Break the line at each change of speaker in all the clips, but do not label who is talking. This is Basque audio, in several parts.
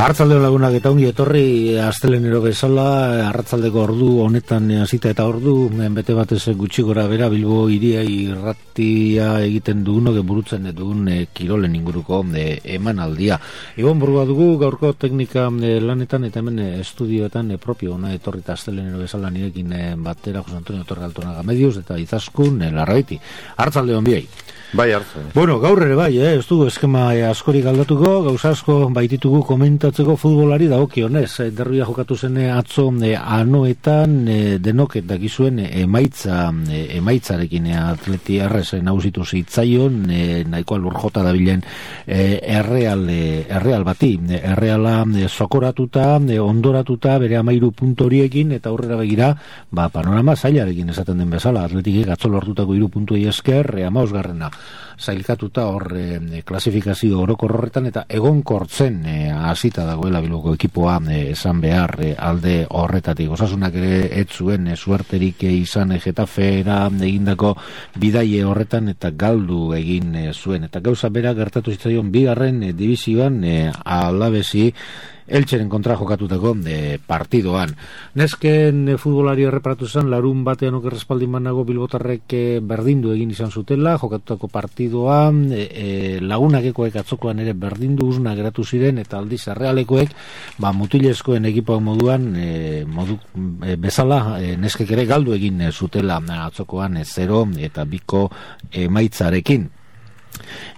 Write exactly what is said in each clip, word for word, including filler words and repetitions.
Arratzaldeon lagunak eta ongi etorri astelenero bezala, arratzaldeko ordu honetan hasita eta ordu bete batez gutxi gora bera Bilbo hiria irratia egiten dugunok burutzen dugun e, kirolen inguruko e, emanaldia. Ibon burua dugu gaurko teknika e, lanetan eta hemen e, estudioetan e, propio ona etorrita astelenero bezala nirekin e, batera Jose Antonio Torre Altonaga Medios eta Izaskun e, Larraiti. Arratzaldeon biei.
Bai, hartzen.
Bueno, gaur ere bai, eh? Ez dugu eskema askorik aldatuko, gauza asko baititugu komentatzeko futbolari dagokionez. Derbia jokatu zen atzo eh, anoetan eh, denok dakizuen eh, emaitza eh, emaitzarekin eh, Atleti Errez eh, nagusitu zitzaion eh, nahikoa lurjota dabilen eh, erreal, eh, erreal bati. Erreala eh, sokoratuta, eh, ondoratuta bere amairu puntu horiekin eta aurrera begira, ba, panorama zailarekin esaten den bezala. Atletikek atzo lortutako hiru puntuei esker, eh, amaosgarrena zailkatuta hor e, klasifikazio orokor horretan eta egonkortzen e, hasita dagoela Bilboko ekipoa e, esan behar e, alde horretatik. Osasunak ere ez zuen e, suerterik e, izan e, Getafera egindako bidaie horretan eta galdu egin e, zuen. Eta gauza bera gertatu zitzaion bigarren e, divizioan e, Alavesi Eltxeren kontra jokatutako e, partidoan. Nesken e, futbolari erreparatu zen, larun batean oker respaldin manago Bilbotarrek e, berdindu egin izan zutela, jokatutako partidoan, e, e, lagunakekoek atzokoan ere berdindu uzna geratu ziren, eta aldiz errealekoek, ba, mutilezkoen ekipoak moduan, e, modu, e, bezala, e, neskek ere galdu egin e, zutela atzokoan e, zero eta biko emaitzarekin.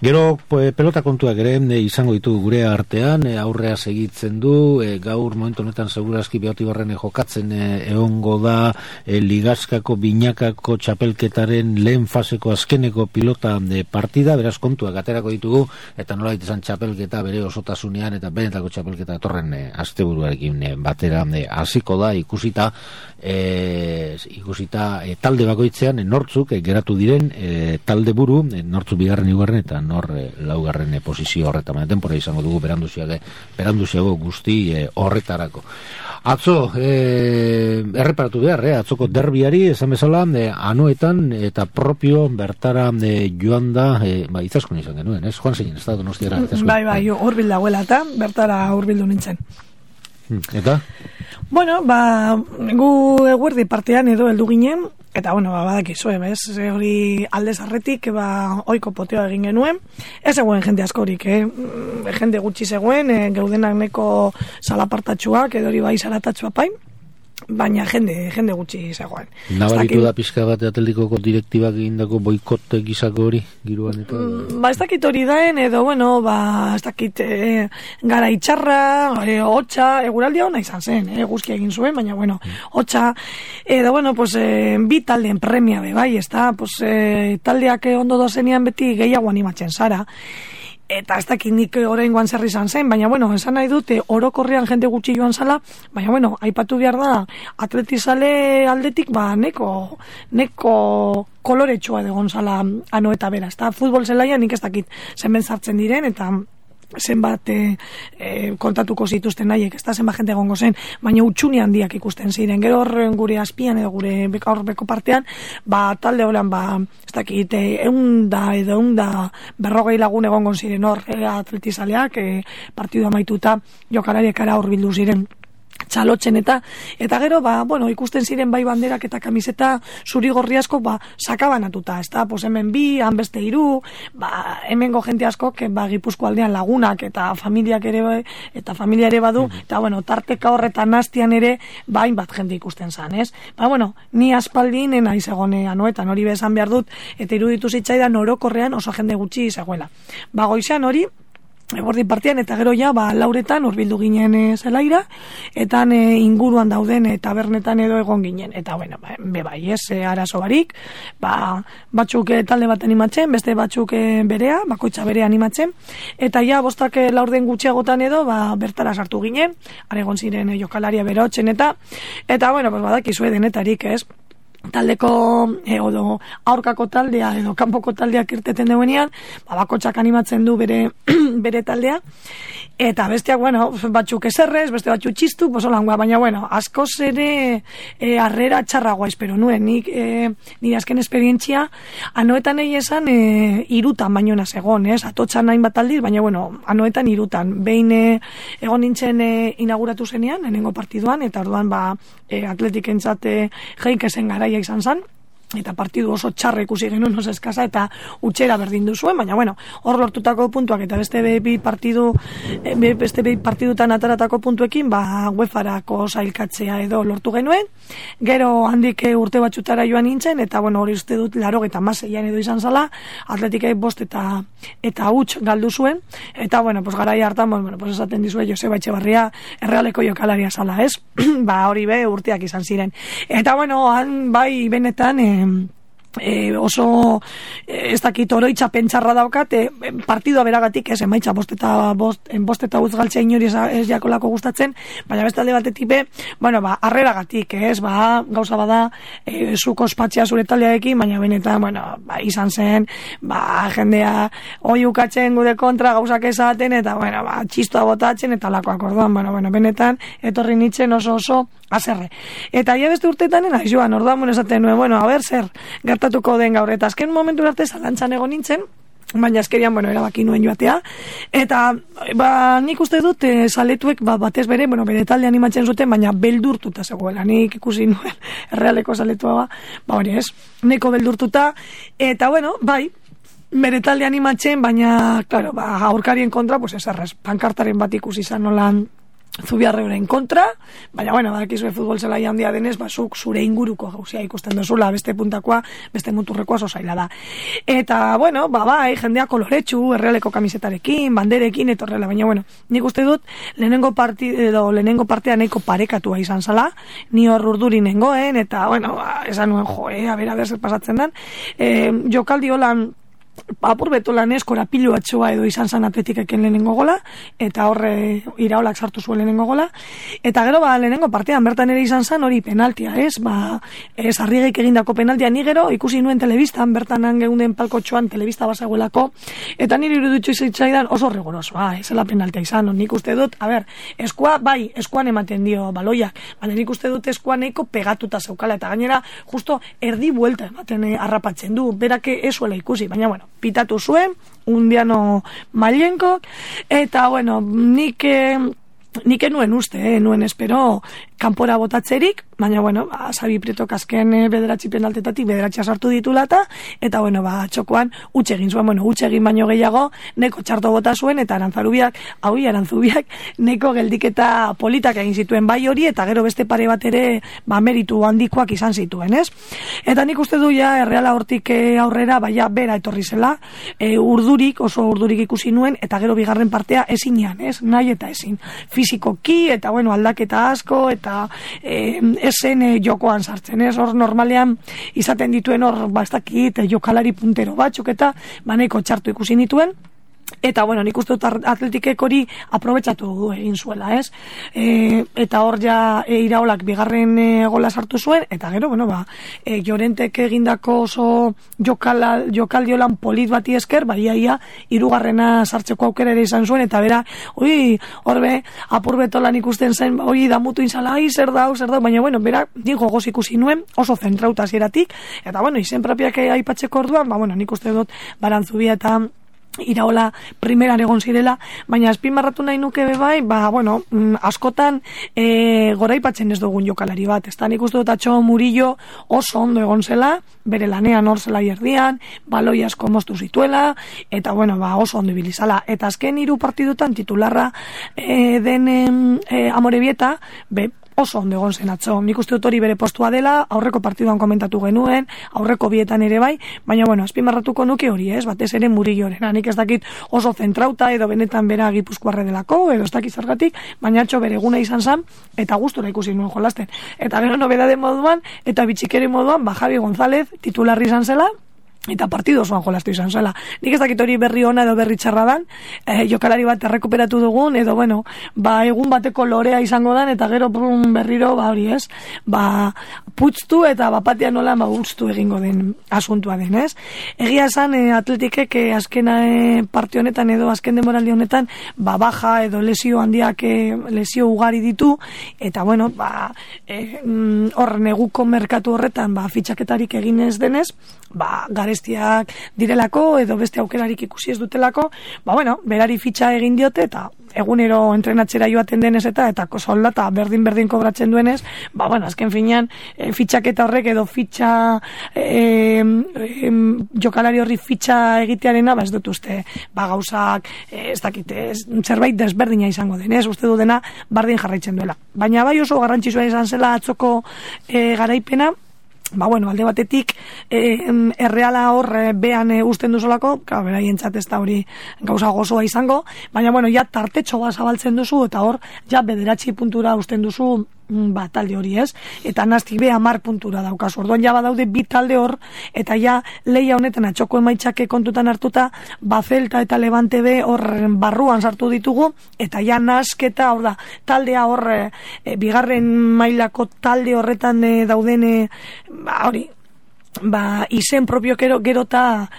Gero pelota kontuak ere e, izango ditugu gure artean, e, aurrea segitzen du, e, gaur momentu honetan segurazki Beotibarren e, jokatzen e, egongo da e, Ligaskako binakako txapelketaren lehen faseko azkeneko pilota e, partida, beraz kontuak aterako ditugu eta nola izan txapelketa bere osotasunean eta benetako txapelketa torren e, asteburuarekin e, batera hasiko e, da ikusita e, ikusita e, talde bakoitzean e, nortzuk e, geratu diren e, talde buru, e, nortzuk bigarren igarren eta nor e, laugarren e, posizio horretan. Baina tempora izango dugu beranduziago, beranduziago guzti e, horretarako. Atzo, e, erreparatu behar, eh? Atzoko derbiari, esan bezala, e, anoetan eta propio bertara e, joan da, e, ba, Izaskun izan genuen, ez? Joan zein, ez da Donostiara.
Bai, bai, hurbil dagoela eta bertara hurbildu nintzen.
Eta?
Bueno, ba, gu eguerdi partean edo heldu ginen, eta, bueno, ba, badakizue, bez, hori aldez arretik, ba, oiko poteo egin genuen, ez egoen jende askorik, eh? Jende gutxi zegoen, eh, geudenak neko salapartatxuak, edo hori bai salatatxua pain, baina jende, jende gutxi zegoen.
Nabaritu da pizka bat atletikoko direktibak egindako boikote gizako hori, giruan eta...
Mm, ba, ez dakit hori daen, edo, bueno, ba, ez dakit e, gara itxarra, e, hotxa, eguraldi hona izan zen, e, guzki egin zuen, baina, bueno, hotxa, edo, bueno, pues, e, bi taldeen premia, be, bai, ez da, pues, e, taldeak ondo dozenean beti gehiago animatzen zara, eta ez dakit nik oraingoan zer izan zen, baina bueno, esan nahi dute orokorrean jende gutxi joan zala, baina bueno, aipatu behar da atletizale aldetik, ba, neko neko koloretsua egon zala ano eta bera, eta futbol zelaia nik ez dakit zenben sartzen diren, eta zenbat e, e, kontatuko zituzten nahiek, ez da zenbat jente egongo zen, baina utxuni handiak ikusten ziren. Gero horren gure azpian edo gure beka horbeko partean, ba, talde holan, ba, ez dakit, eunda edo eunda berrogei lagun egongo ziren hor e, atletizaleak, e, partidu amaituta jokalariek ara hor bildu ziren txalotzen eta eta gero ba bueno ikusten ziren bai banderak eta kamiseta zuri-gorri asko ba sakabanatuta, ezta? Pues hemen bi, han beste hiru, ba hemengo jente askok ba Gipuzkoa aldean lagunak eta familiak ere eta familia ere badu, mm-hmm. Eta bueno, tarteka horretan hastian ere ba hainbat jende ikusten zan, ez? Ba bueno, ni aspaldin naiz egonean anoetan hori bezan behar dut eta iruditu zitzaidan orokorrean oso jende gutxi zegoela. Ba goizean hori eguerdi partian eta gero ja ba lauretan hurbildu ginen e, zelaira eta e, inguruan dauden e, tabernetan edo egon ginen eta bueno ba, be bai ez e, arazo barik ba batzuk e, talde bat animatzen beste batzuk e, berea bakoitza bere animatzen eta ja bostak e, laurden gutxiagotan edo ba bertara sartu ginen are egon ziren e, jokalaria berotzen eta eta bueno pues badakizue denetarik ez taldeko e, odo aurkako taldea edo kanpoko taldeak irteten duenean, ba, bakotxak animatzen du bere bere taldea, eta besteak, bueno, batzuk eserrez, beste batzuk txistu, posolangoa, baina, bueno, askoz ere e, arrera txarragoa espero nuen, nik e, nire azken esperientzia, anoetan egi esan e, irutan baino naz egon, ez, atotxan nahin bat aldiz, baina, bueno, anoetan irutan, behin e, egon nintzen e, inauguratu zenean, lehenengo partiduan, eta orduan, ba, e, atletik entzate jeik esen garaia izan zen, eta partidu oso txarra ikusi genuen oso eskasa eta utxera berdin duzuen, baina bueno, hor lortutako puntuak eta beste bi partidu beste bi partidutan ataratako puntuekin, ba UEFArako sailkatzea edo lortu genuen. Gero handik urte batzutara joan nintzen eta bueno, hori uste dut laurogeita hamaseian edo izan zala, Atletikek bost eta eta huts galdu zuen eta bueno, pues garaia hartan, bueno, pues esaten dizue Joseba Etxebarria Errealeko jokalaria zala, ez? Ba hori be urteak izan ziren. Eta bueno, han bai benetan eh, E, oso e, ez dakit oroitza pentsarra daukat e, partidua beragatik ez emaitza bost eta bost, bost eta utz galtzea inori ez, ez jakolako gustatzen, baina beste alde batetik be, bueno, ba, arreragatik ez, ba, gauza bada e, zuko espatzea zure taldearekin, baina benetan, bueno, ba, izan zen ba, jendea oi ukatzen gude kontra gauzak esaten, eta bueno, ba, txistoa botatzen, eta lakoak orduan, bueno, bueno, benetan, etorri nintzen oso oso azerre. Eta ia beste urtetan naiz joan, orduan mun esaten nuen, bueno, a ber, zer, gertatuko den gaur, eta azken momentu arte zalantzan egon nintzen, baina azkerian, bueno, erabaki nuen joatea, eta, ba, nik uste dut, e, zaletuek, ba, batez bere, bueno, bere talde animatzen zuten, baina beldurtuta zegoela, nik ikusi nuen, Errealeko zaletua, ba, ba hori ez, neko beldurtuta, eta, bueno, bai, bere talde animatzen, baina, claro, ba, aurkarien kontra, pues ez errez, pankartaren bat ikusi izan nolan, Zubiarreuren kontra, baina, bueno, badakizue futbol zelai handia denez, basuk zure inguruko gauzia ikusten duzula, beste puntakoa, beste muturrekoa oso zaila da. Eta, bueno, ba, bai, jendea koloretsu, Errealeko kamisetarekin, banderekin, etorrela, baina, bueno, nik uste dut, lehenengo parti, edo, lehenengo partea nahiko parekatua izan zala, ni hor urduri nengoen, eta, bueno, ba, esan nuen, jo, eh, a ber, a ber, zer pasatzen den, e, jokaldi holan, apur beto lanez korapilu atxoa edo izan zan Atletikeken lehenengo gola, eta horre Iraolak sartu zuen lehenengo gola, eta gero ba lehenengo partean bertan ere izan zan hori penaltia, ez? Ba, ez Arrigek egindako penaltia, ni gero ikusi nuen telebistan, bertan geunden palkotxoan telebista bazegoelako, eta niri iruditzu zitzaidan oso rigorosoa, ez zela penaltia izan, nik uste dut, a ber, eskua, bai, eskuan ematen dio baloiak, baina nik uste dut eskua nahiko pegatuta zeukala, eta gainera, justo erdi buelta ematen eh, harrapatzen du, berake esuela ikusi, baina bueno, pitatu zuen, undiano mailenko, eta bueno, nik eh, nik enuen uste, eh, nuen espero kanpora botatzerik, baina bueno, ba, Sabi Prietok azken eh, bederatzi penaltetatik bederatxa sartu ditulata, eta bueno, ba, txokoan utxe egin zuen, bueno, utxe egin baino gehiago, neko txarto bota zuen, eta Arantzarubiak, hau Arantzubiak, neko geldiketa politak egin zituen bai hori, eta gero beste pare bat ere, ba, meritu handikoak izan zituen, ez? Eta nik uste du ja, Erreala hortik eh, aurrera, baina bera etorri zela, eh, urdurik, oso urdurik ikusi nuen, eta gero bigarren partea ezinean, ez? Nahi eta ezin. Fizikoki, eta bueno, aldaketa asko, eta e, esen e, jokoan sartzen, ez? Hor normalean izaten dituen hor, ba, ez dakit, jokalari puntero batzuk, eta baneko txartu ikusi nituen, eta bueno, nik uste dut Atletikek hori aprobetxatu du egin zuela, ez? E, eta hor ja e, Iraolak bigarren e, gola sartu zuen, eta gero, bueno, ba, e, Llorentek egindako oso jokala, jokaldiolan polit bati esker, ba, ia, ia, irugarrena sartzeko aukera ere izan zuen, eta bera, oi, horbe, apurbetolan ikusten zen, oi, damutu inzala, ai, zer dau, zer dau, baina, bueno, bera, nik gogoz ikusi nuen, oso zentrauta zieratik, eta, bueno, izen propiak aipatzeko orduan, ba, bueno, nik uste dut Barantzubia eta Iraola primeran egon zirela, baina azpimarratu nahi nuke bebai, ba, bueno, askotan e, goraipatzen ez dugun jokalari bat, ez da nik uste dut Atxo Murillo oso ondo egon zela, bere lanean hor zela jerdian, baloi asko moztu zituela, eta bueno, ba, oso ondo ibilizala, eta azken hiru partidutan titularra e, den e, Amorebieta, be, oso ondo egon zen Atzo. Nik uste dut hori bere postua dela, aurreko partiduan komentatu genuen, aurreko bietan ere bai, baina bueno, azpimarratuko nuke hori, ez, batez ere Murillorena. Nik ez dakit oso zentrauta edo benetan bera Gipuzkoarre delako, edo ez dakit zergatik, baina Atxo bere eguna izan zen, eta gustora ikusi nuen jolasten. Eta gero nobedade moduan, eta bitxikere moduan, ba, Javi González titularri izan zela, eta partido osoan jolastu izan zela. Nik ez dakit hori berri ona edo berri txarra dan, eh, jokalari bat errekuperatu dugun, edo bueno, ba, egun bateko lorea izango dan, eta gero brun berriro, ba, hori ez, ba, putztu eta bapatia nola, ba, guztu egingo den asuntua den, ez? Egia esan, eh, atletikek eh, azkena eh, parte honetan edo azken demoraldi honetan, ba, baja edo lesio handiak, eh, lesio ugari ditu, eta bueno, ba, eh, hor neguko merkatu horretan, ba, fitxaketarik egin ez denez, ba, garestiak direlako edo beste aukerarik ikusi ez dutelako, ba bueno, berari fitxa egin diote eta egunero entrenatzera joaten denez eta eta soldata berdin-berdin kobratzen duenez, ba bueno, azken finean e, fitxaketa horrek edo fitxa e, e, jokalari horri fitxa egitearena, ba ez dut uste, ba gauzak e, ez dakite, zerbait desberdina izango denez, uste du dena bardin jarraitzen duela. Baina bai oso garrantzitsua izan zela atzoko e, garaipena, ba bueno, alde batetik eh, erreala hor eh, bean eh, usten duzolako, claro, beraientzat ez da hori gauza gozoa izango, baina bueno, ja tartetxo bat zabaltzen duzu eta hor ja bederatzi puntura usten duzu ba, talde hori ez, eta nazti be hamar puntura daukazu, orduan ja badaude bi talde hor, eta ja leia honetan atxoko emaitzake kontutan hartuta, ba Celta eta Levante be hor barruan sartu ditugu, eta ja nasketa hor da, taldea hor e, bigarren mailako talde horretan e, dauden e, ba hori, ba, izen propio gero, gero eta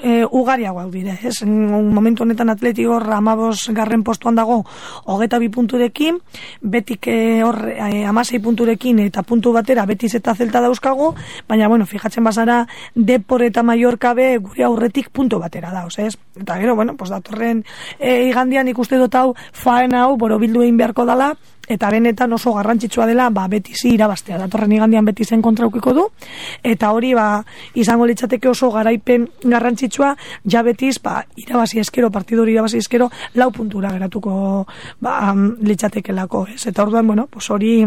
e, ugariagoak dira, ez? Un momentu honetan Atletico hor amabos garren postuan dago hogeta bi punturekin, betik e, hor e, amasei punturekin eta puntu batera Betis eta Celta dauzkagu, baina bueno, fijatzen bazara Depor eta Mallorca be gure aurretik puntu batera dauz, ez? Eta gero, bueno, pues datorren e, igandian ikuste dut hau faena hau borobildu egin beharko dala, eta benetan oso garrantzitsua dela, ba, Betisi irabaztea, datorren igandian Betisen kontra ukiko du, eta hori, ba, izango litzateke oso garaipen garrantzitsua, ja Betis, ba, irabazi eskero, partidu hori irabazi eskero, lau puntura geratuko, ba, litzatekelako, ez? Eta orduan, bueno, pues hori,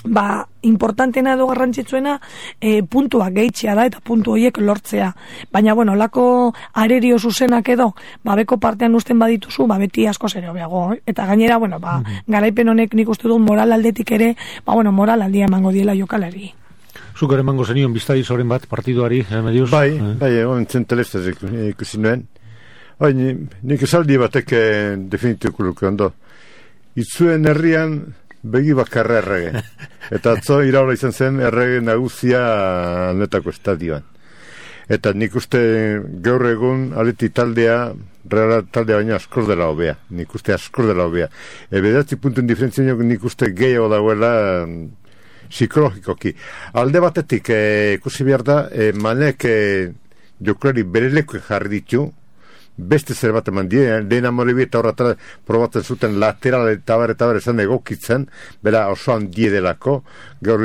ba, importantena edo garrantzitsuena e, puntua gehitzea da eta puntu horiek lortzea. Baina, bueno, lako arerio zuzenak edo, ba, beko partean usten badituzu, ba, beti asko zere hobeago. Eh? Eta gainera, bueno, ba, mm-hmm. garaipen honek nik uste dut moral aldetik ere, ba, bueno, moral aldia emango diela jokalari.
Zuk ere emango zenion biztari zoren bat partiduari, eh, mediuz?
Bai, eh? bai, egon zen telestaz ikusi nuen. Bai, nik esaldi batek definituko luke ondo. Itzuen herrian begi bakarra errege. Eta atzo iraula izan zen errege nagusia netako estadioan. Eta nik uste gaur egun aleti taldea, reala taldea baina askor dela hobea. Nik uste askor dela hobea. E, Bederatzi puntuen diferentzia nik uste gehiago dagoela psikologikoki. Alde batetik ikusi behar da, e, manek e, jokulari bere leku jarri ditu, beste zer bat eman die, lehen amore eta horretara probatzen zuten lateral eta bar eta bar esan egokitzen, bera oso handie delako, gaur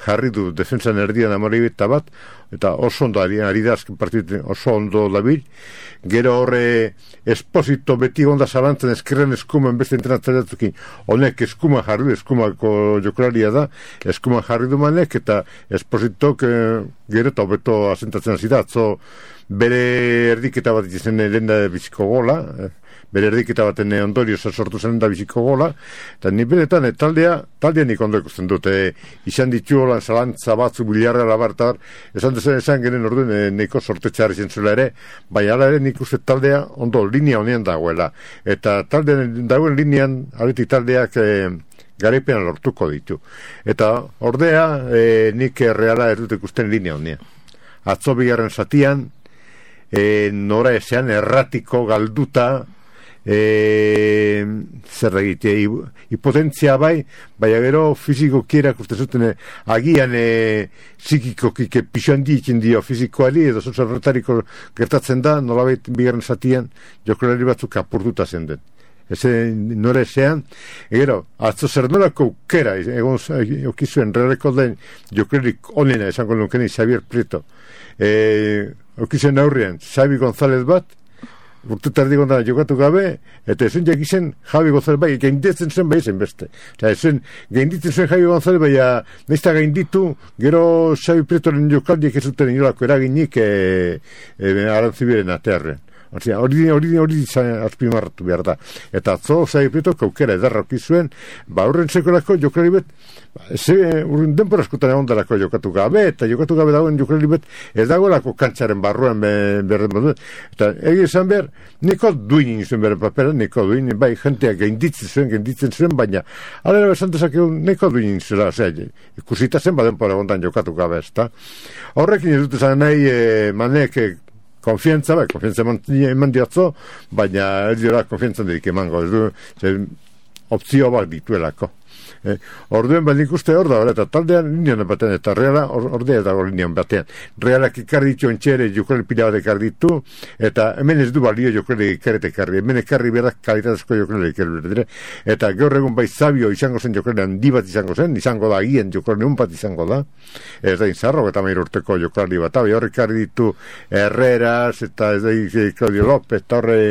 jarri du defensan erdian amore eta bat, eta oso ondo ari, ari da azken partidu oso ondo dabil, gero horre Esposito beti onda zalantzen eskerren eskuman beste entrenatzaiatukin, honek eskuma jarri du, eskumako jokularia da, eskuma jarri du manek, eta Espositok eh, gero eta hobeto asentatzen hasi da, atzo bere erdiketa bat izan lehen da biziko gola, eh, bere erdiketa baten ondorio sortu zen da biziko gola, eta ni benetan, eh, taldea, taldea nik ondo ikusten dute, eh, izan ditu holan zalantza batzu biliarra labartar, esan dezen esan genen orduen eh, neko sortetxar izan zuela ere, bai ala ere nik uste taldea ondo linea honean dagoela, eta taldean dagoen linean, aletik taldeak eh, garaipean lortuko ditu. Eta ordea, eh, nik reala ez dut ikusten linea honean. Atzo bigarren zatian, E, nora esean erratiko galduta e, zer egite hipotentzia bai, baina gero fiziko kierak uste zuten e, agian e, psikikoki pixoan diikin dio fizikoari edo zozorretariko gertatzen da, nolabait bigarren zatian jokolari batzuk apurtuta zen den. Eze nora esean, egero, atzo zer norako ukera, egon okizuen realeko den jokolarik onena esango nukeni Xavier Prieto. E, okizuen aurrean, Xavi González bat, urte tardi gondana jokatu gabe, eta ezen jakizen Javi González bai, gainditzen zuen bai zen beste. Osa, ezen gainditzen zuen Javi González bai, naizta gainditu, gero Xavi Prietoren jokaldiek ez zuten inolako eraginik e, e, arantzibiren atearren. hori hori hori azpimarratu behar da. Eta atzo Xabi Prietok aukera edarroki zuen, ba horren sekolako jokalari bet, ze urren denbora askotan egon darako jokatu gabe, eta jokatu gabe dagoen jokalari bet, ez dagoelako kantxaren barruan berden badu. Eta egi esan behar, niko duin izuen beren papera, niko duin, bai, jentea gainditzen zuen, gainditzen zuen, baina, alera esan dezakegu, niko duin izela, ozea, ikusita zen badenpora egondan jokatu gabe, ez da. Horrekin ez dut esan nahi, e, manek, konfiantza, bai, konfiantza eman diatzo, baina ez dira konfiantzan dedik emango, ez du, ze, opzio bat dituelako. Eh, orduen bat nik uste hor da, eta taldean linean batean, eta reala ordea dago linean batean. Realak ekarri ditu entxere, jokalari pila bat ekarri ditu, eta hemen ez du balio jokalari ekarret ekarri, hemen ekarri berak kalitatezko jokalari ekarri. Eta gaur egun bai Zabio izango zen jokalari handi bat izango zen, izango da agien jokalari un bat izango da, ez da inzarro, eta mair urteko jokalari bat, hori hor ekarri ditu Herreras, eta ez da Claudio López, eta horre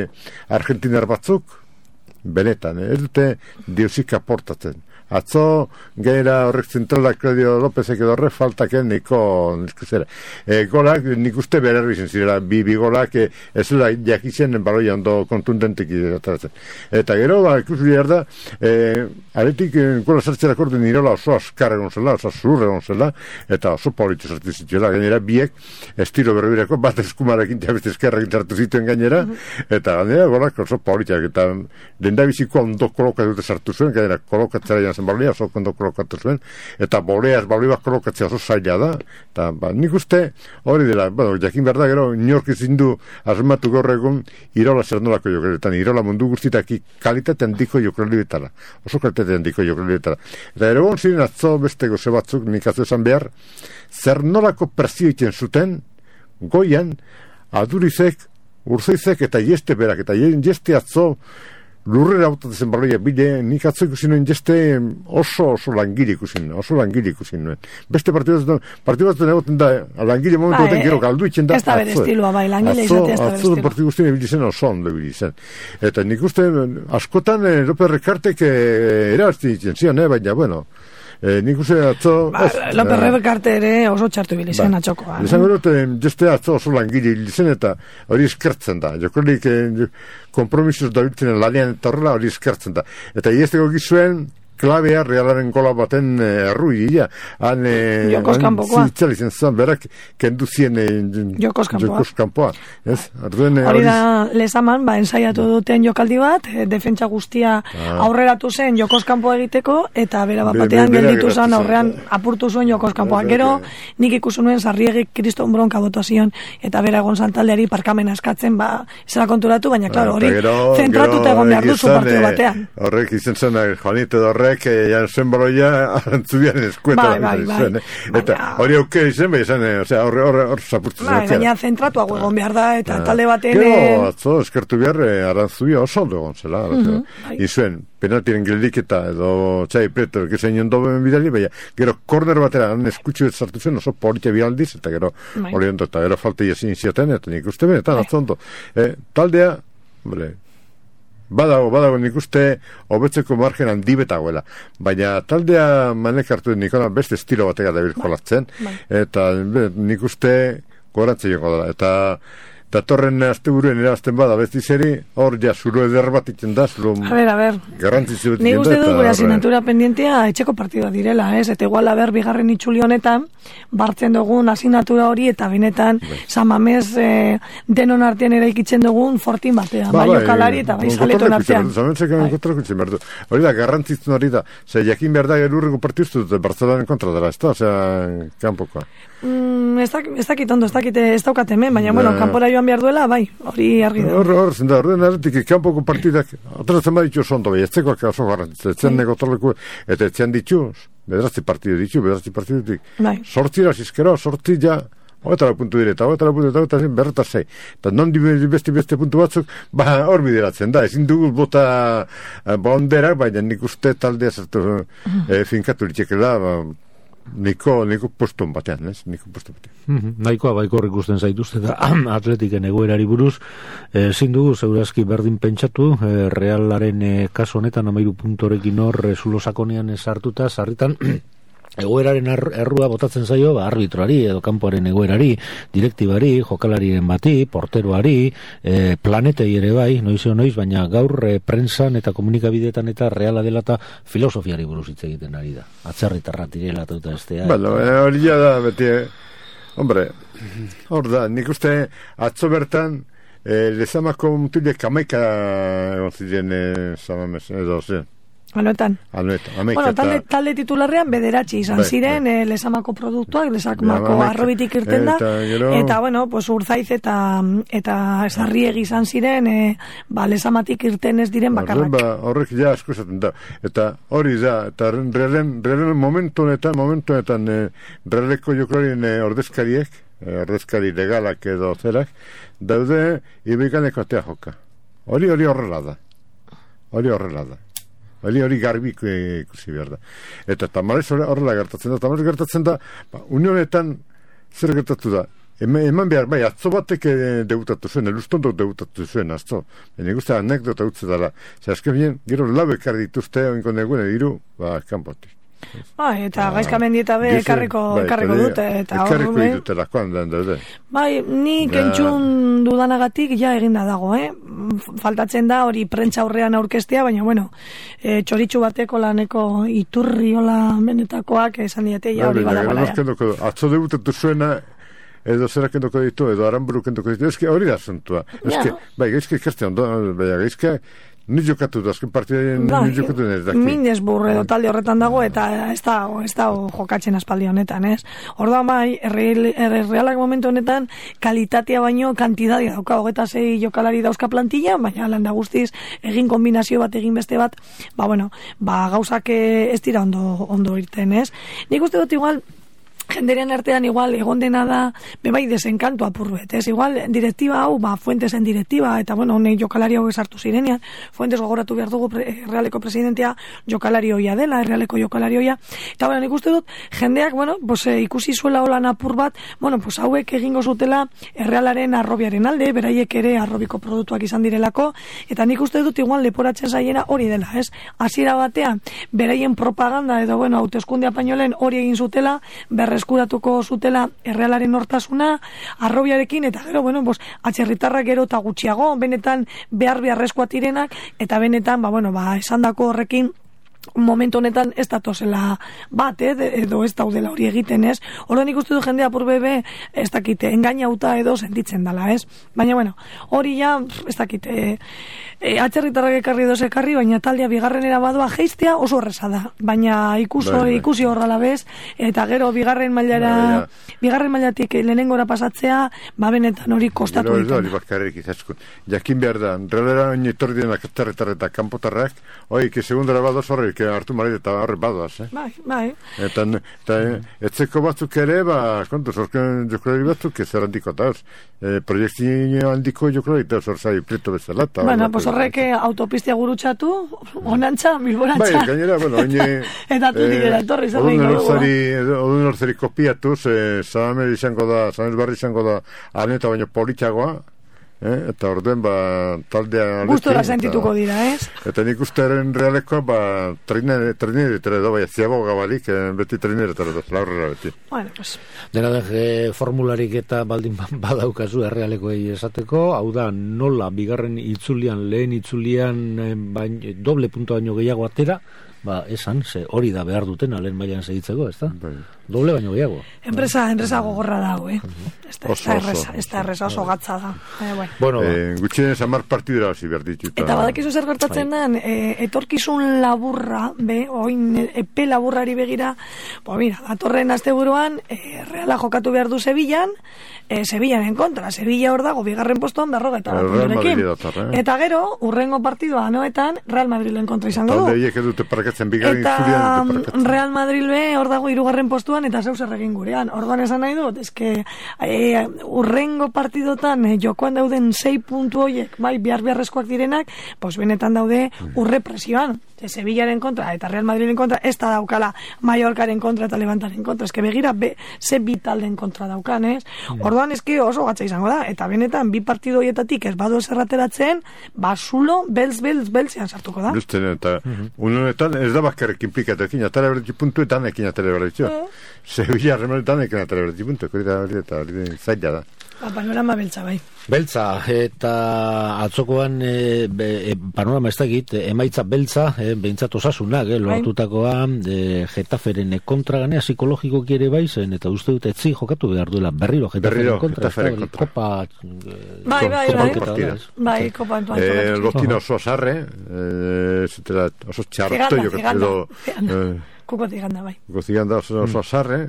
Argentinar batzuk, benetan, ez dute diosik aportatzen. Atzo, gaira horrek zentralak Claudio Lópezek edo horrek faltaken niko, nizkuzera. E, golak, nik uste bererri zen zirela, bi, bi golak, e, ez zela jakitzen baloia ondo kontundentek ataratzen. Eta gero, ba, ikusi behar da, e, aretik, gola sartzera korde nirola oso askar egon zela, oso zurre egon zela, eta oso politu sartu zituela, gainera, biek, estilo berbirako, bat eskumarekin, jabez eskerrekin sartu zituen gainera, eta gainera, golak oso politiak, eta lendabiziko ondo kolokatu sartu zuen, gainera, kolokatzera zen balea, oso kondo kolokatu zuen, eta boleaz, balea kolokatzea oso zaila da, eta ba, nik uste hori dela, bueno, jakin behar da gero, inork ezin du asmatu gaur egun Irola zer nolako jokalietan, Irola mundu guztitaki kalitate handiko jokalietan, oso kalitate handiko jokalietan. Eta ere bon ziren atzo beste goze batzuk, nik atzo esan behar, zer nolako presio egiten zuten, goian, Adurizek, Urzoizek eta Ieste berak, eta Ieste atzo, lurrera autatzen baloia bide, nik atzo ikusi nuen jeste oso oso langile ikusi nuen, oso langile ikusi nuen. Beste partidu batzen egoten da, langile momentu baten gero galdu itxen da.
Ez da bere estilua bai, langile izatea ez da bere estilua.
Atzo partidu guztien ebili zen oso ondo ebili zen. Eta nik uste, askotan López Rekartek erabazten ditzen zian, eh, baina, bueno, Eh, nik uste atzo...
Ba, López Recarte ere oso txartu bilizen ba, atxokoa.
Izan gero, jeste atzo oso langile bilizen eta hori eskertzen da. Jokolik eh, kompromisos da biltzen lanean eta horrela hori eskertzen da. Eta iesteko gizuen klabea realaren gola baten errui dira. Han
Jokos kanpokoa.
Zitzal izan zan, berak kendu zien
Jokos
kanpoa.
Hori da lezaman, ba, ensaiatu duten jokaldi bat, defentsa guztia ah. aurreratu zen Jokos kanpoa egiteko, eta bera bat batean be, be, gelditu zen, aurrean apurtu zuen Jokos kanpoa. Gero, nik ikusi nuen Sarriegi Kriston Bronka botuazion, eta bera egon santaldeari parkamena eskatzen, ba, zera konturatu, baina, klaro, hori zentratuta egon behar duzu partidu batean.
Horrek izan zen, Juanito Dorre, que jan zen baloia arantzubian eskueta.
Bai, bai, bai.
Eta hori aukera izan, bai, izan, osea, horre, horre, horre, zapurtzen.
Bai, baina zentratu hau egon behar da, eta talde baten...
Gero, atzo, eskertu behar, arantzubia oso ondo egon zela. Izuen, penaltiren geldiketa, edo Xabi Prieto, que zein ondo bidali, baina, gero, korner batera, han eskutxu ez sartu zen, oso politia bialdiz, eta gero, hori ondo, eta gero falta jasin zioten, eta nik uste benetan, atzo ondo. Taldea, bale, Badago, badago, nik uste hobetzeko margen handi betagoela. Baina taldea manek hartu nikona beste estilo batega da bilkolatzen. Eta nik uste gorantze jongo da. Eta datorren azte buruen erazten bada besti zeri, hor ja zuru eder bat itzen da, zuru
a ver, a ver.
garrantzitzu bat itzen da.
Ni uste du gure asignatura pendientea etxeko partida direla, ez? Eta igual haber bigarren itxuli honetan, bartzen dugun asignatura hori, eta benetan Samamez eh, denon artean eraikitzen dugun fortin batean, ba, bai jokalari eta bai zaleton artean.
Hori da, garrantzitzu hori da, ze jakin behar da gerurreko partiztu dute Bartzelonaren kontra dela, ez da, osea, kanpokoa.
Mm, ez dakit ondo, ez dakit ez daukat hemen, baina, bueno, kanpora joan behar duela, bai, hori argi da.
Hor, hor, zenda, horren aretik, kanpoko partidak, ateratzen baditu oso ondo, bai, etzekoak oso garrantzitzu, etzen negotorleku, eta etzean ditu, bedrazti partidu ditu, bedrazti partidu ditu, bai. Sortzi rasizkero, sortzi ja, hogetara puntu direta, hogetara puntu direta, hogetara berreta zei, eta non beste beste puntu batzuk, ba, hor bideratzen da, ezin dugu bota bonderak, baina nik uste taldea zertu e, finkatu ditxekela, ba, Niko, niko poston batean, ez? Niko poston batean.
Mm-hmm. Naikoa baikor ikusten zaituzte da Atletiken egoerari buruz. Ezin dugu, segurazki berdin pentsatu, e, Realaren e, kasu honetan amairu puntorekin hor e, zulo sakonean sartuta, sarritan egoeraren errua botatzen zaio ba, arbitroari edo kanpoaren egoerari, direktibari, jokalariren bati, porteroari, e, planetei ere bai, noiz o noiz, baina gaur e, prensan eta komunikabideetan eta reala dela eta filosofiari buruz hitz egiten ari da. Atzerritarra direla eta estea.
Bueno, hori ja da, beti, hombre, hor da, nik uste atzo bertan, e, lezamako mutilek amaika egon ziren e, zamames, edo zen.
Anuetan.
Anuetan.
Bueno, talde, talde titularrean bederatzi izan bai, ziren, bai. E, lesamako produktuak, lesamako arrobitik irten da, eta, gero... eta bueno, pues, Urzaiz eta eta Sarriegi izan ziren, e, ba, lesamatik irten ez diren bakarrak.
Ba, horrek ja asko esaten da. Eta hori da, eta realen, realen momentu honetan, momentu honetan, e, realeko jokolarien e, ordezkariek, e, ordezkari legalak edo zerak, daude ibikaneko atea joka. Hori hori horrela da. Hori horrela da. Hori hori garbi ikusi behar da. Eta tamarez horrela gertatzen da. Tamarez gertatzen da, ba, unionetan zer gertatu da. Eman, eman behar, bai, atzo batek debutatu zuen, elustondok debutatu zuen, atzo. Ene guztia anekdota utze dara. Zer, azken bien, gero lau ekar dituzte, oinko negune, iru, ba, kanpotik.
Bai, eta ah, gaizka mendieta be ekarriko, bai, ekarriko dute. Eta
ekarriko ditutela, koan den daude.
Bai, nik ja. Entzun dudanagatik ja eginda dago, eh? Faltatzen da hori prentza aurrean aurkestea, baina bueno, e, txoritxu bateko laneko iturri hola benetakoak esan diete, ja hori badagoela.
Atzo debutatu zuena, edo zerak endoko ditu, edo aranburuk endoko ditu, ezke hori da zuntua. Ezke, bai, gaizka ikaste ondo, bai, gaizka, ni jokatu da, azken partidaren ni jokatu nire daki. Minesburg
edo talde horretan dago, eta ez da, ez da jokatzen aspaldi honetan, ez? Orduan bai, errealak momentu honetan, kalitatea baino, kantidadia dauka, hogeta zei jokalari dauzka plantilla, baina landa guztiz, egin kombinazio bat, egin beste bat, ba bueno, ba gauzak ez dira ondo, ondo irten, ez? Nik uste dut igual, jenderen artean igual egon dena da bebai desenkanto apurruet, ez? Igual direktiba hau, ba, Fuentesen direktiba, eta bueno, honek jokalari hau esartu zirenean, Fuentes gogoratu behar dugu pre, Realeko presidentea jokalari hoia dela, Realeko jokalari hoia, eta bueno, nik uste dut, jendeak, bueno, pues, e, ikusi zuela holan apur bat, bueno, pues hauek egingo zutela Realaren arrobiaren alde, beraiek ere arrobiko produktuak izan direlako, eta nik uste dut igual leporatzen zaiena hori dela, ez? Hasiera batean, beraien propaganda, edo bueno, hauteskunde apainolen hori egin zutela, berre eskuratuko zutela Errealaren hortasuna, arrobiarekin, eta gero, bueno, bos, atxerritarrak gero eta gutxiago, benetan behar beharrezkoa tirenak, eta benetan, ba, bueno, ba, esandako horrekin, momentu honetan ez datozela bat, eh, edo ez daudela hori egiten, ez? Orduan ikustu du jendea pur bebe, ez dakite, engainauta edo sentitzen dela, ez? Baina, bueno, hori ja, ez dakite, e, atxerritarrak ekarri edo ekarri, baina taldea bigarrenera badoa geistea oso horreza da. Baina ikuso, bai, bai. ikusi horrela bez, eta gero bigarren mailara, bai, bigarren mailatik lehenengora pasatzea, ba benetan hori kostatu ditu.
Hori bakarrik izaskun. Jakin behar da, realera oin etorri denak atxerritarrak eta kanpotarrak, oi, que segundara badoz horri, que hartu marit eta horre badoaz, eh?
Bai, bai.
Eta, eta etzeko batzuk ere, ba, kontu, zorken jokolari batzuk, ez errandiko eta hor, e, proiektio handiko jokolari eta hor zai preto bezala.
Bueno, pues horrek autopistia gurutxatu, onantza, bilborantza.
Bai, gainera, bueno, oine...
eta tu digera, etorri zer nahi
gogo. Odun horzari kopiatuz, Zahamer izango da, Zahamer barri izango da, arneta baino politxagoa, Eh, eta orduen, ba, taldea...
Gustora sentituko dira, ez?
Eta nik ustearen Realekoa, ba, trainere, trainere, tere da, bai, ziago gabalik, eh, beti trainere, tere da, laurrera beti.
Bueno, pues...
Dena da, eh, formularik eta baldin badaukazu Realekoei esateko, hau da, nola, bigarren itzulian, lehen itzulian, eh, bain, doble punto baino gehiago atera, ba, esan, ze hori da behar dutena lehen mailan segitzeko, ez da? Bai. Doble baino gehiago.
Enpresa, enpresa gogorra dago, eh? Ez da erresa, ez da erresa oso gatza da. Eh, bueno.
Bueno, eh, gutxienez amar partidura hasi behar ditut.
Eta badakizu zer gertatzen den, eh, etorkizun laburra, be, oin epe laburrari begira, bo, mira, datorren asteburuan, eh, Reala jokatu behar du Sevillan, eh, Sevillaren kontra, Sevilla hor dago, bigarren postuan berroga eta punturekin. Eh? Eta gero, urrengo partidua anoetan, Real Madrilen kontra izango du.
Talde hiek edute parakatzen bigarren
eta
itzulian.
Real Madrid be, hor dago hirugarren postuan, eta zeu zer egin gurean. Orduan esan nahi dut, eske e, urrengo partidotan e, jokoan dauden sei puntu hoiek, bai, behar beharrezkoak direnak, pues benetan daude urre presioan. Sevillaren kontra eta Real Madrilen kontra, ez da daukala Mallorcaren kontra eta Levantaren kontra, eske begira be, ze bi taldeen kontra daukan, ez? Orduan eske oso gatza izango da, eta benetan bi partido hoietatik ez badu zerrateratzen, basulo, belz, belz, belzean sartuko da.
Justen, eta uh-huh. unonetan ez da bakarrik implikatuekin, atara berretzi puntu eta anekin atara berretzi. Sevilla remaletan ekin atara berretzi puntu, hori da, hori da, hori da, zaila da.
Ba, panorama beltza, bai.
Beltza, eta atzokoan e, be, e, panorama ez dakit, emaitza beltza, e, behintzat osasunak, e, lortutakoa, e, Getaferen kontra ganea psikologikoki ere bai zen, eta uste dute etzi jokatu behar duela berriro Getaferen kontra.
Getaferen kontra.
Kopa...
Bai, bai, bai. Bai, kopa entuan.
Eh, Lortina oso azarre, eh, zutela, oso txarto, jo
ganda, ganda. Kuko ziganda, bai.
Kuko ziganda oso azarre,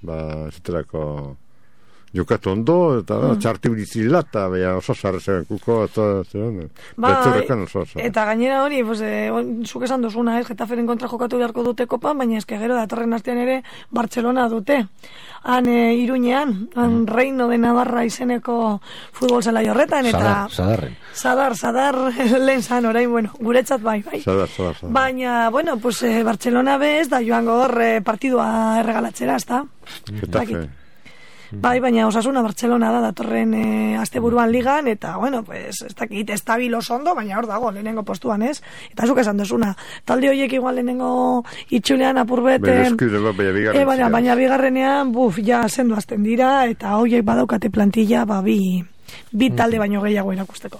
ba, zutelako... Jokatu ondo, eta mm. txarti bizila, eta beha oso zarre zen kuko, eta betzurrekan oso zarre.
Eta gainera hori, pues, eh, zuk esan duzuna, ez, Getaferen kontra jokatu beharko dute kopan, baina eske gero datorren astean ere Bartzelona dute. Han e, Iruñean, han mm. Reino de Navarra izeneko futbol zelai horretan, eta...
Zadar, zadarren.
Zadar, zadar, lehen zan, orain, bueno, guretzat bai, bai.
Zadar, zadar, zadar.
Baina, bueno, pues, eh, Bartzelona bez, da joango hor eh, partidua erregalatzera, ez da?
Getafe.
Bai, baina Osasuna Bartzelona da datorren e, asteburuan ligan, eta, bueno, pues, ez dakit, estabil oso ondo, baina hor dago, lehenengo postuan, ez? Eta zuk esan duzuna, talde horiek igual lehenengo itxulean apurbete...
E,
baina, baina bigarrenean, buf, ja, sendu azten dira, eta horiek badaukate plantilla, ba, bi... bi talde baino gehiago erakusteko.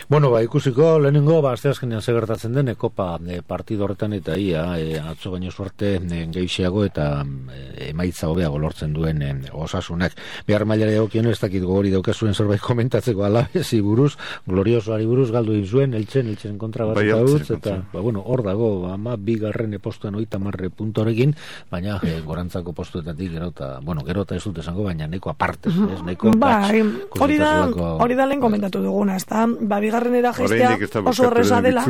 Bueno, ba, ikusiko, lehenengo, ba, asteazkenean segertatzen den, kopa e, partido horretan eta ia, e, atzo baino suerte e, gehiago eta e, emaitza hobeago lortzen duen e, Osasunak. Behar mailare dagokion ez dakit gogori daukazuen zerbait komentatzeko Alavesi buruz, gloriosoari buruz galdu zuen, eltzen, eltzen kontra bat eta utz, eta, ba, bueno, hor dago, ama, bigarren postuan oita marre puntorekin, baina e, gorantzako postuetatik, gero eta, bueno, gero eta ez dut esango, baina neko aparte, ez, neko
ba, hori da, hori da lehen komentatu duguna, ez da, ba, bigarrenera gestea oso horreza dela.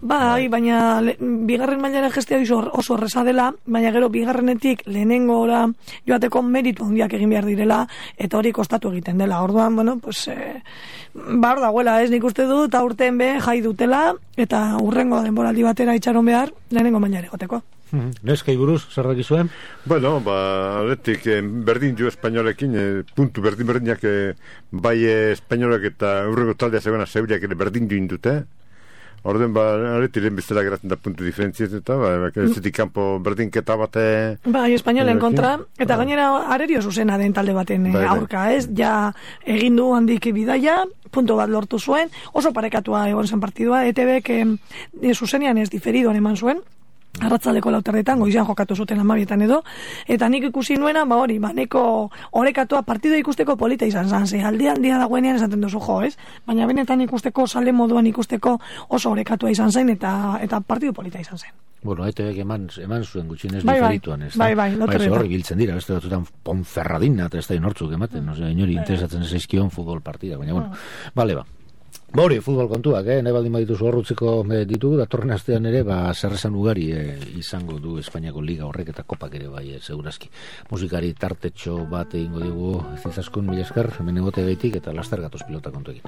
Bai, baina le, bigarren mailara gestea oso horreza dela, baina gero bigarrenetik lehenengo ora joateko meritu handiak egin behar direla, eta hori kostatu egiten dela. Orduan, bueno, pues, eh, ba, hor dagoela, ez nik uste dut, aurten be jai dutela, eta urrengo denboraldi batera itxaron behar, lehenengo mailara egoteko.
Neskai buruz, zer dakizuen?
Bueno, ba, aletik, eh, berdin jo espainolekin, eh, puntu berdin berdinak, eh, bai eh, espainolek eta urrego taldea zegoena zeuriak ere berdin jo indute. Orden, ba, aletik, lehen bezala geratzen da puntu diferentziet eta, ba, ez zetik kanpo berdinketa bate...
Bai, espainolen kontra, eta gainera arerio zuzena den talde baten eh, aurka, ez? Ja, egin du handik bidaia, punto bat lortu zuen, oso parekatua egon zen partidua, E T Bek eh, zuzenean ez diferidoan eman zuen, arratzaldeko lauterretan, goizean jokatu zuten amabietan edo, eta nik ikusi nuena, ba hori, ba, neko orekatua partido ikusteko polita izan zan, ze aldi aldia dagoenean esaten duzu jo, ez? Baina benetan ikusteko, sale moduan ikusteko oso orekatua izan zen, eta eta partido polita izan zen.
Bueno, E T Bek eman, eman zuen gutxinez
bai,
diferituan, ez da?
Bai, bai, lauterretan.
Bai, horri biltzen dira, beste batzutan Ponferradina, eta ez da inortzuk ematen, no, inori interesatzen ez eizkion futbol partida, baina, bueno, bale, ba. Ba hori, futbol kontuak, eh? nahi baldin badituzu horrutzeko eh, ditugu, datorren astean ere, ba, zerrezan ugari eh, izango du Espainiako Liga horrek eta kopak ere bai, eh, segurazki. Musikari tartetxo bat egingo dugu zizaskun mila esker, hemen egote gaitik eta laster gatoz pilota kontu egin.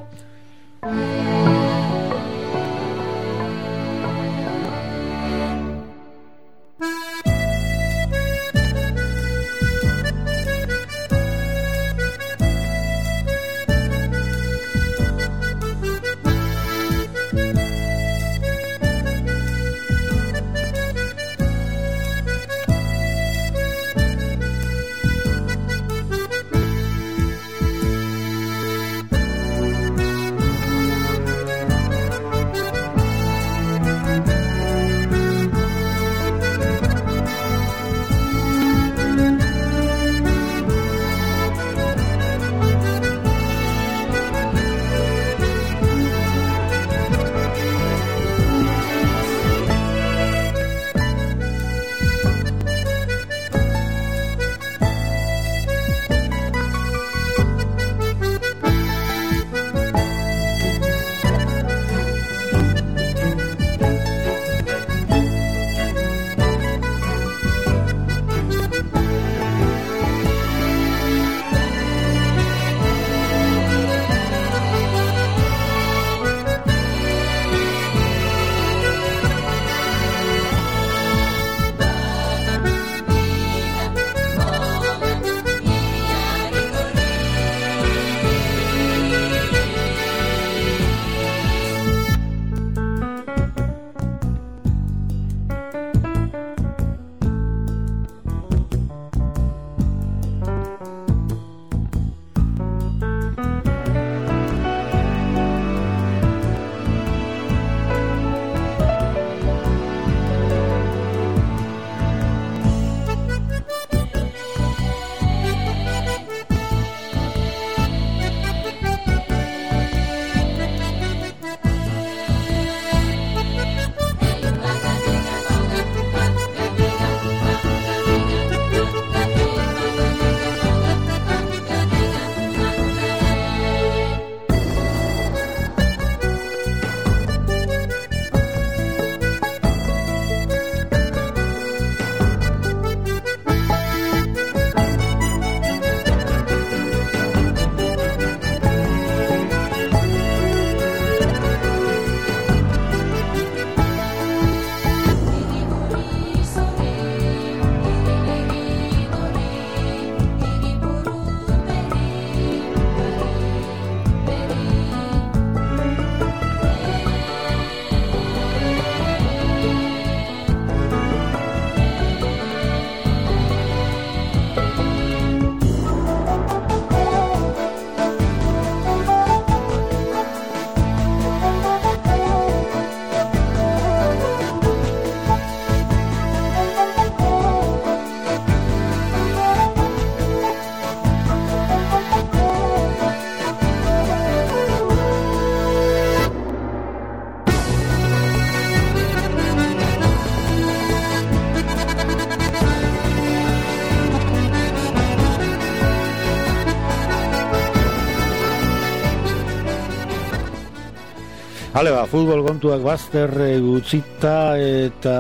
Hale ba, futbol kontuak bazter e, utzita eta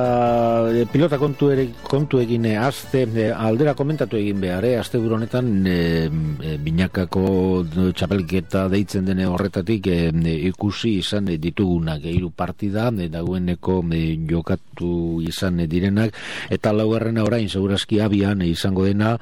e, pilota kontu ere, kontuekin e, azte e, aldera komentatu egin behar, e, azte buru honetan e, e, binakako txapelketa deitzen dene horretatik e, e, ikusi izan e, ditugunak e, hiru partida e, dagoeneko e, jokatu izan e, direnak eta laugarrena orain segurazki abian e, izango dena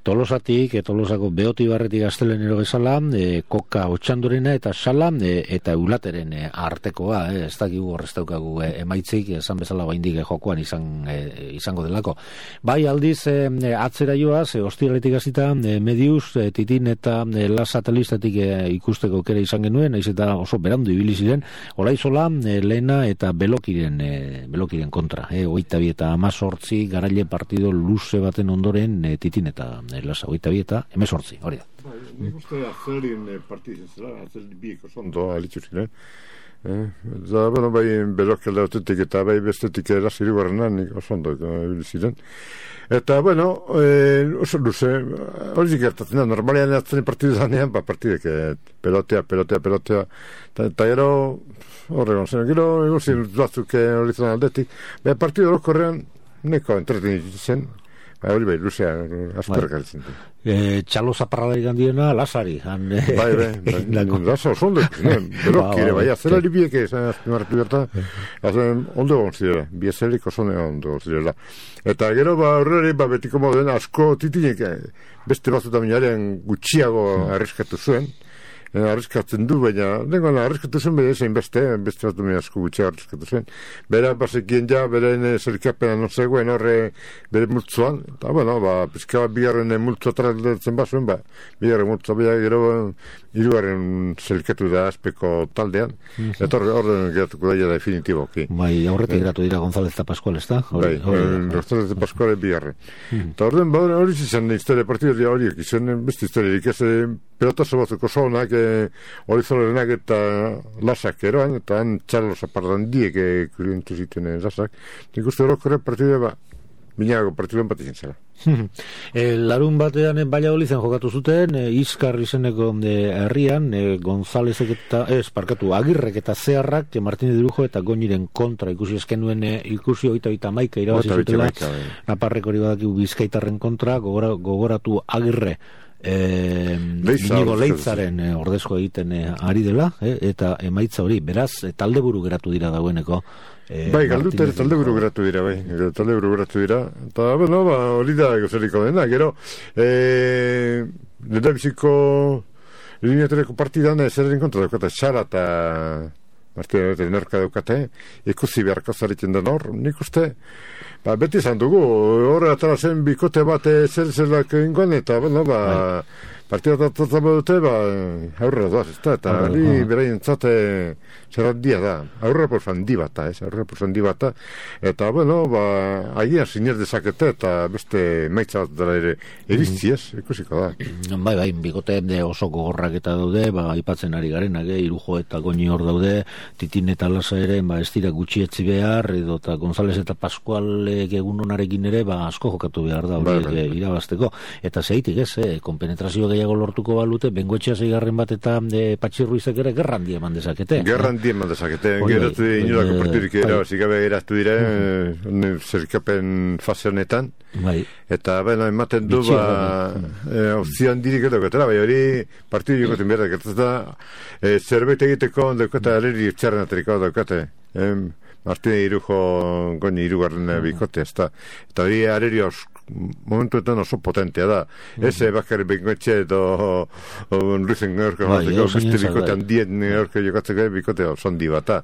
Tolosatik, e, Tolosako Beotibarretik Gaztelenero bezala, e, Koka Otxandorena eta Sala e, eta Eulateren e, artekoa, e, ez dakigu horrez daukagu e, emaitzik, esan bezala baindik e, jokoan izan, e, izango delako. Bai aldiz, e, atzera joaz, e, ostiraletik hasita e, Medius, e, Titin eta e, La Satelistatik e, ikusteko kere izan genuen, naiz eta oso berandu ibili ziren, Olaizola, e, Lena eta Belokiren, e, Belokiren kontra, e, hogeita bi eta hamazortzi garaile partido luze baten ondoren e, Titin eta Lasa, hogeita bi eta hemezortzi, hori da.
Nik uste atzelin partidin zela, atzelin bieko zondo alitzu ziren. Eta, bueno, bai, Belok aldeotetik eta bai bestetik erasi irigarrenan nik oso ondo ziren. Eta, bueno, eh, oso luze, hori gertatzen da, normalean atzelin partidu zanean, ba, partidek, pelotea, pelotea, pelotea, eta gero, horregon zen, gero, egozien batzuk hori zan aldetik, bai, partidu horokorrean, neko entreten zen, Ba, hori bai, luzea, azperrak alitzen.
E, txalo zaparradari gandiena, Lasari. Han, e,
bai, bai, bai, Lasa oso ondo, berokire, bai, azela libiek ezan azpimarratu berta, azan ondo gonzidera, biezelik oso ondo gonzidera. Eta gero, ba, horreri, ba, betiko moden, asko titinek, beste batzuta minaren gutxiago arriskatu zuen, arriskatzen du, baina dengoan arriskatu zen bere zein beste, beste bat duen asko gutxea arriskatu zen. Bera, bazekien ja, beren zerikapena non zegoen horre bere multzuan, eta, bueno, ba, pizka bat bigarren multzua traldetzen bazuen, ba, bigarren multzua bera gero hirugarren zerikatu da azpeko taldean, mm-hmm. Eta horre, horre geratuko daia definitiboki.
Bai, aurretik geratu dira González eta Pascual, ez da?
Bai, González eta Pascual bigarren. Eta horren, ba, hori izan historia partidu horiek, izan beste historiarik ez pelotazo batzuk oso honak, hori zolerenak eta Lasak eroan, eta han txalo zapardan diek kurientu zituen Lasak. Nik uste horokorre partidu ba, binago partiduen bat izan zela.
e, larun batean Valladolizen jokatu zuten, e, Izkar izeneko herrian, e, Gonzálezek eta, ez, parkatu, Agirrek eta Zeharrak, e, Martínez Dirujo eta Goñiren kontra ikusi eskenuen, e, ikusi oita oita maika irabazi zutela, Naparrek hori badakigu Bizkaitarren kontra, gogora, gogoratu Agirre, Eh, Inigo Leitzaren eh, ordezko egiten eh, ari dela, eh, eta emaitza hori, beraz, eh, talde buru geratu dira dagoeneko. Eh,
bai, galdute talde buru geratu dira, bai, talde buru geratu dira, eta, bueno, ba, hori da gozeriko dena, gero, eh, nire biziko lineatereko partidan zerren kontra daukate, Xara eta Martina eta Nerka daukate, ikusi beharko zaritzen den hor, nik uste, ba, beti izan dugu, horre atara zen bikote bat zer zelak ingoan, eta, bueno, ba, partida tatzen dute, ba, aurrera doaz, ez da, eta hori beraien zate zer handia da, aurrera por handi bata, ez, aurrera por handi bata, eta, bueno, ba, agian sinez dezakete, eta beste maitza bat dara ere irizti, ez, ikusiko da.
Bai, bai, bikote oso gogorrak eta daude, ba, aipatzen ari garenak, eh, Irujo eta Goñi hor daude, Titin eta Lasa ere, ba, ez dira gutxi etzi behar, edo eta González eta Pascual egun honarekin ere, ba, asko jokatu behar da, hori bai, bai. irabazteko, eta zeitik ez, eh, konpenetrazio gehiago lortuko balute, Bengoetxea zeigarren bat eta e, Patxirruizek ere gerran die eman dezakete.
Gerran die eman dezakete, geratu bai, inolako partidurik ere, zikabe geratu dire, uh-huh. zerkapen fase honetan, bai. Eta, bueno, ematen du, Bitxia, ba, e, opzioan dirik edo gotera, bai, hori partidu jokoten behar da, da, e, zerbait egiteko, daukata, areri txarren ateriko daukate, em, Martine Irujo Goñi irugarren bikote, ez da. Eta hori areri momentuetan oso potentea da. Mm-hmm. Ez bakar Bengoetxe edo Luizen Georgio bateko, beste bikote handien Georgio jokatzeko bikote oso handi bata.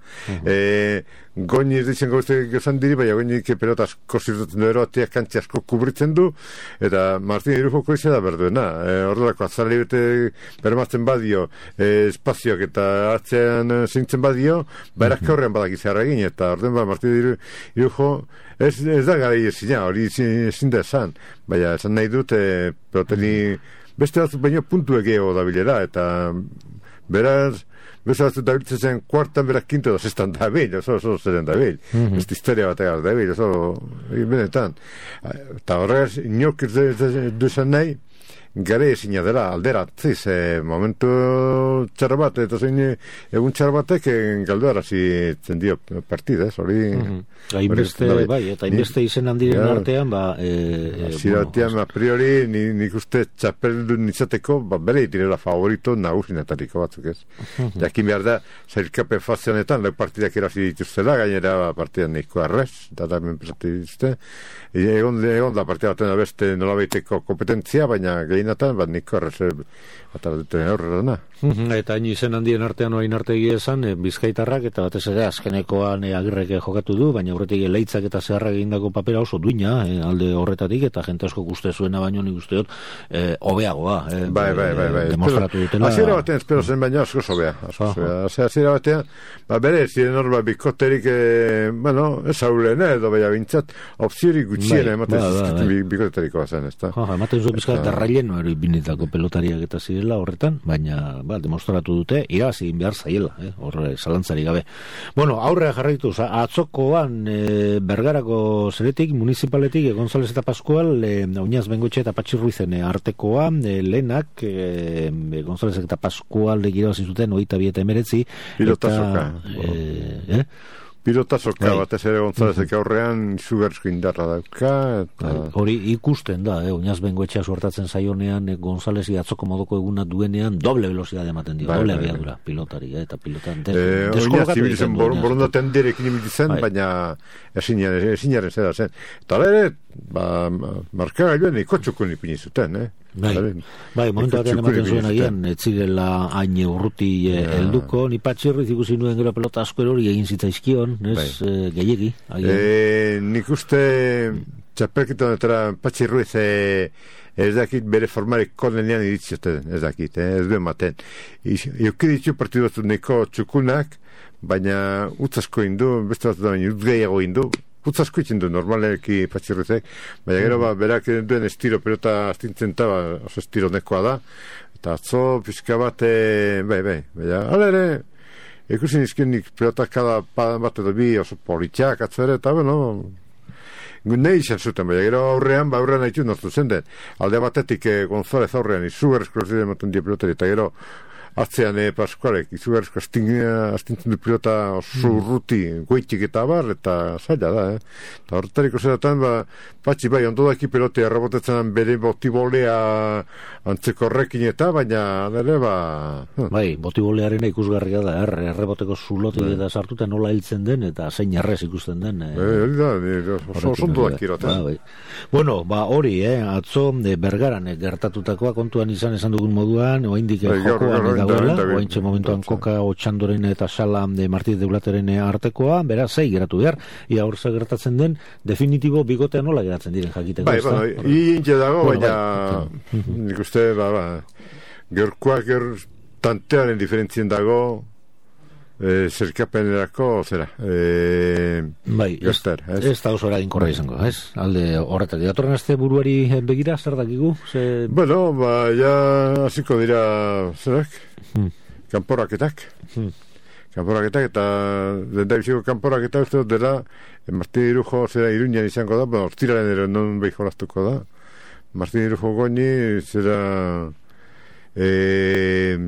Goñi ez ditzen gauzte gozan diri, baina Goñi pelota asko zirtatzen duero, ateak kantxe asko kubritzen du, eta Martine Irujoko izan da berduena. Horrelako azalei bete bermazten badio, espazioak eta atzean zintzen badio, barak horrean badak izarra egin, eta orden ba, Martine Irujo ez, ez da gara izina, hori ezin da esan, baina esan nahi dut, e, peloteni beste batzuk baino puntu egeo da bilera, eta beraz, beste batzuk da biltzen zen kuartan berak kinto da zestan da bil, oso oso zeren da bil, mm-hmm. Beste historia bat egar da bil, oso benetan. Eta horregaz, inok ez du esan nahi, gare ezina dela alderatziz, e, momentu txar bat, eta zein egun txar batek galduarazi zendio partidez, hori...
Hainbeste, mm-hmm. bai, eta hainbeste izen handiren ja, artean, ba... E,
Ziratian, bueno, a priori, ni, nik uste txapeldu nitzateko, ba, bere itirela favorito nagusinetariko batzuk ez. Mm-hmm. Jakin behar da, zailkapen fazionetan, lau partidak erazi dituztela, gainera ba, partidan nahiko arrez, data hemen presatu dituzte. Egon, egon da partida baten beste nolabaiteko kompetentzia, baina gehienatan, bat nahiko arrez bat duten aurrera dena.
Mm-hmm. Eta hain izen handien artean oain arte esan, e, Bizkaitarrak, eta batez ere azkenekoan e, Agirrek jokatu du, baina aurretik leitzak eta zeharrak egindako papera oso duina, e, alde horretatik, eta jente asko uste zuena baino nik uste dut, e, hobeagoa. E,
bai, bai, bai, bai.
Demostratu dutela.
Aziera batean espero zen baino asko zobea. Aziera batean, ba, bere, ziren hor, ba, bikoterik, e, bueno, ez haulen, edo baina bintzat, opziorik gutxien, ematen
bai, bai, bai.
bikotetariko bazen, ez da?
Ematen zuen bizkat, derraileno ero binetako pelotariak eta zirela horretan, baina, ba, demostratu dute, irabazi behar zaiela, eh, horre, zalantzari gabe. Bueno, aurrea jarraituz, atzokoan, e, Bergarako zeretik, municipaletik, e, González eta Pascual, e, Oinaz Bengoetxe eta Patxi Ruizen e, artekoa, e, lehenak, e, e, González eta Pascual irabazi zuten, oita bi eta emeretzi.
Pilotazoka.
E, eh?
Pilotazoka, bai. Batez ere Gonzálezek aurrean izugarrizko indarra dauka. Eta...
Hori ikusten da, eh? Oinaz Bengoetxea suertatzen zaionean, eh, Gonzálezi atzoko modoko eguna duenean, doble velocidade ematen dio, bai, doble bai, abiadura, bai. Pilotari, eh? Eta pilotan des, eh, deskolokatu egiten du.
Borondaten direkin ibilitzen, bai. Baina esinaren zera zen. Eta ere, ba, markagailuen ikotxukun ipini zuten, eh?
Bai, bai, momentu batean ematen zuen agian, etzirela hain urruti helduko, ni Patxi Ruiz ikusi nuen gero pelota asko hori egin zitzaizkion, ez, bai. e, gehiegi.
E, nik uste txapelketa honetara Patxi Ruiz e, ez dakit bere formarik konenean iritzioten, ez dakit, eh, ez duen maten. Euki ditu partidu batzu neko txukunak, baina utzasko indu, beste bat da baina utgeiago indu, Putzasko itzen du, normaleki Patxi Ruizek, baina gero, ba, berak duen estiro pelota astintzen ta, ba, oso estiro nekoa da, eta atzo, pixka bat, e, bai, bai, baina, ala ere, ikusi nizkien nik pelota kada bat edo bi oso politxak, atzo ere, eta, bueno, nahi izan zuten, baina gero aurrean, ba, aurrean haitu nortu zen den, alde batetik e, González aurrean, izugarrizko zidea ematen die pelotari, eta gero, atzean e, Pascualek, izugarrizko astintzen du pilota oso urruti, goitik eta abar, eta zaila da, eh? Eta horretariko zeratan, ba, Patxi, bai, ondo daki pelotea errebotetzen bere botibolea antzeko horrekin eta, baina, nire, ba...
Bai, botibolearen ikusgarria da, er, erreboteko zulotik eta sartuta nola hiltzen den, eta zein errez ikusten den.
Eh, hori da, oso ondo daki eroten.
Ba, bai. Bueno, ba, hori, eh, atzo, de Bergaran, eh, gertatutakoa kontuan izan esan dugun moduan, oaindik bai, jokoan dagoela, oaintxe momentuan Koka Otxandoren eta Sala de Martí de Blateren artekoa, beraz, zei geratu behar, ia hor gertatzen den, definitibo bigotea nola geratzen diren jakiteko.
Bai, bai, hintxe dago, bueno, baina bai. Nik uste, ba, ba, gerkoak ger tantearen diferentzien dago, e, zerkapenerako, zera, e,
bai, gertar, ez, ez da oso eraginkorra izango, ez? Alde horretak, datorren aste buruari begira, zer dakigu? Ze...
Bueno, ba, ja, hasiko dira, zerak, hmm. kanporaketak, hmm. kanporaketak, eta lenda biziko kanporaketak uste dut dela, Martín Irujo, zera, Iruñan izango da, bueno, ostiraren ere non behi jolaztuko da, Martín Irujo goini, zera, eh,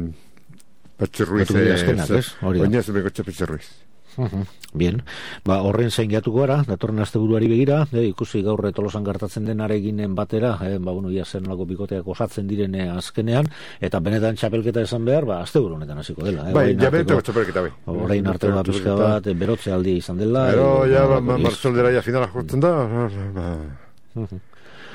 Patxi Ruiz, oinaz bekotxe Patxi Ruiz.
Uh-huh. Bien, ba, horren zein gehiatuko gara, datorren aste buruari begira, eh, ikusi gaur Tolosan gertatzen denareginen batera, eh, ba, bueno, ia zer nolako bikoteak osatzen diren eh, azkenean, eta benetan txapelketa esan behar, ba, aste buru honetan hasiko dela. Eh,
bai, ja benetako txapelketa, bai.
Horrein arte bat pizka bat, eh, berotze aldi izan dela.
Pero, eh, ja, ba, marzoldera ja finala jotzen da, ba...
Uh-huh.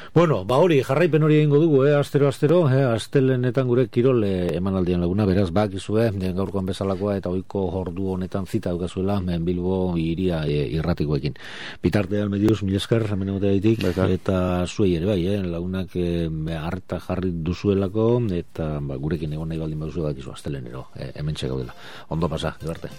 Bueno, ba hori, jarraipen hori egingo dugu, eh, astero-astero, eh, astelenetan gure kirol eh, emanaldian laguna, beraz, bakizue, eh, gaurkoan bezalakoa eta ohiko ordu honetan zita dukazuela, eh, Bilbo iria eh, irratikoekin. Bitartean medios, mil esker, hemen egoteaitik, eta zuei ere bai, eh, lagunak eh, harta jarri duzuelako, eta ba, gurekin egon nahi baldin baduzu bakizu astelenero, eh, hemen txegaudela. Ondo pasa, ebarte.